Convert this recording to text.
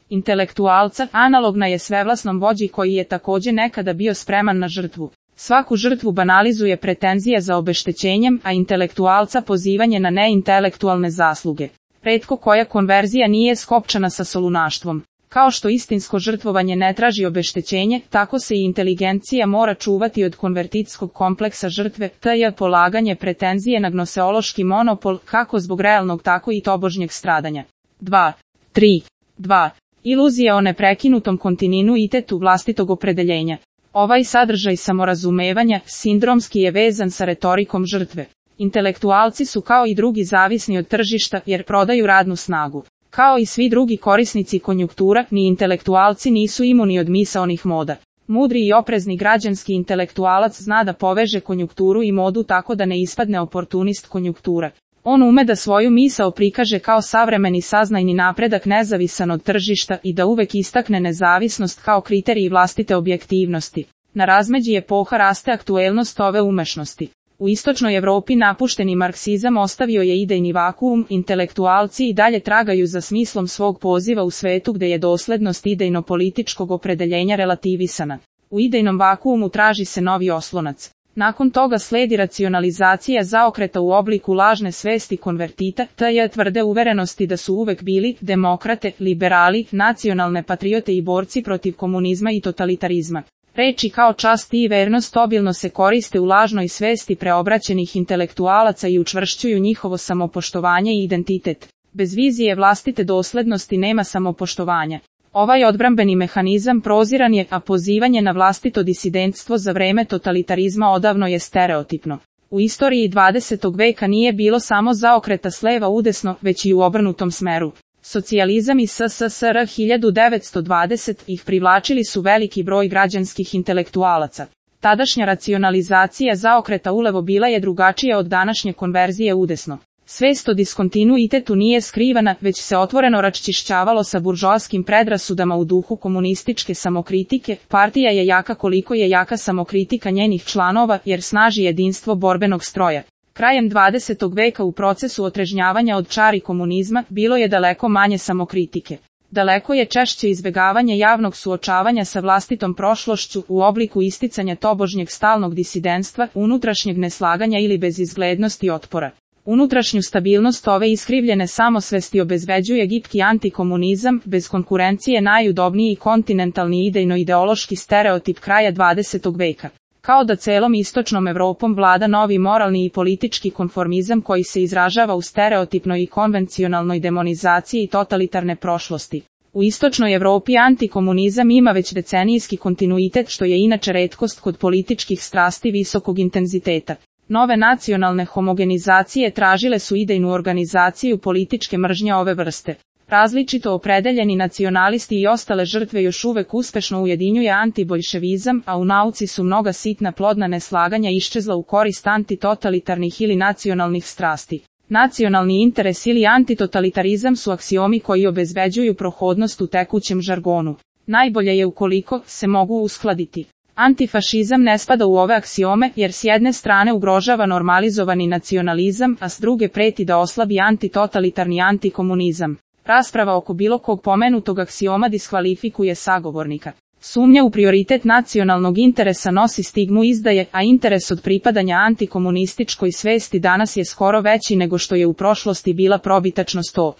intelektualca, analogna je svevlasnom vođi koji je takođe nekada bio spreman na žrtvu. Svaku žrtvu banalizuje pretenzija za obeštećenjem, a intelektualca pozivanje na neintelektualne zasluge. Retko koja konverzija nije skopčana sa solunaštvom. Kao što istinsko žrtvovanje ne traži obeštećenje, tako se i inteligencija mora čuvati od konvertitskog kompleksa žrtve, tj. polaganje pretenzije na gnoseološki monopol, kako zbog realnog tako i tobožnjeg stradanja. 2. Iluzija o neprekinutom kontinuitetu vlastitog opredeljenja. Ovaj sadržaj samorazumevanja sindromski je vezan sa retorikom žrtve. Intelektualci su kao i drugi zavisni od tržišta jer prodaju radnu snagu. Kao i svi drugi korisnici konjunktura, ni intelektualci nisu imuni od misaonih moda. Mudri i oprezni građanski intelektualac zna da poveže konjunkturu i modu tako da ne ispadne oportunist konjunktura. On ume da svoju misao prikaže kao savremeni saznajni napredak nezavisan od tržišta i da uvek istakne nezavisnost kao kriterij vlastite objektivnosti. Na razmeđi epoha raste aktuelnost ove umešnosti. U istočnoj Evropi napušteni marksizam ostavio je idejni vakuum, intelektualci i dalje tragaju za smislom svog poziva u svetu gde je doslednost idejno-političkog opredeljenja relativisana. U idejnom vakuumu traži se novi oslonac. Nakon toga sledi racionalizacija zaokreta u obliku lažne svesti konvertita, tj. tvrde uverenosti da su uvek bili demokrate, liberali, nacionalne patriote i borci protiv komunizma i totalitarizma. Reči kao čast i vernost obilno se koriste u lažnoj svesti preobraćenih intelektualaca i učvršćuju njihovo samopoštovanje i identitet. Bez vizije vlastite doslednosti nema samopoštovanja. Ovaj odbrambeni mehanizam proziran je, a pozivanje na vlastito disidentstvo za vreme totalitarizma odavno je stereotipno. U istoriji 20. veka nije bilo samo zaokreta s leva udesno, već i u obrnutom smeru. Socijalizam i SSSR 1920 ih privlačili su veliki broj građanskih intelektualaca. Tadašnja racionalizacija zaokreta ulevo bila je drugačija od današnje konverzije udesno. Svest o diskontinuitetu nije skrivana, već se otvoreno raščišćavalo sa buržoaskim predrasudama u duhu komunističke samokritike. Partija je jaka koliko je jaka samokritika njenih članova, jer snaži jedinstvo borbenog stroja. Krajem 20. veka u procesu otrežnjavanja od čari komunizma bilo je daleko manje samokritike. Daleko je češće izbegavanje javnog suočavanja sa vlastitom prošlošću u obliku isticanja tobožnjeg stalnog disidentstva, unutrašnjeg neslaganja ili bezizglednosti otpora. Unutrašnju stabilnost ove iskrivljene samosvesti obezbeđuje gipki antikomunizam, bez konkurencije najudobniji kontinentalni idejno-ideološki stereotip kraja 20. veka. Kao da celom istočnom Evropom vlada novi moralni i politički konformizam koji se izražava u stereotipnoj i konvencionalnoj demonizaciji totalitarne prošlosti. U istočnoj Evropi antikomunizam ima već decenijski kontinuitet što je inače retkost kod političkih strasti visokog intenziteta. Nove nacionalne homogenizacije tražile su idejnu organizaciju političke mržnje ove vrste. Različito opredeljeni nacionalisti i ostale žrtve još uvek uspešno ujedinjuje antiboljševizam, a u nauci su mnoga sitna plodna neslaganja iščezla u korist antitotalitarnih ili nacionalnih strasti. Nacionalni interes ili antitotalitarizam su aksiomi koji obezbeđuju prohodnost u tekućem žargonu. Najbolje je ukoliko se mogu uskladiti. Antifašizam ne spada u ove aksiome jer s jedne strane ugrožava normalizovani nacionalizam, a s druge preti da oslabi antitotalitarni antikomunizam. Rasprava oko bilo kog pomenutog aksioma diskvalifikuje sagovornika. Sumnja u prioritet nacionalnog interesa nosi stigmu izdaje, a interes od pripadanja antikomunističkoj svesti danas je skoro veći nego što je u prošlosti bila probitačnost o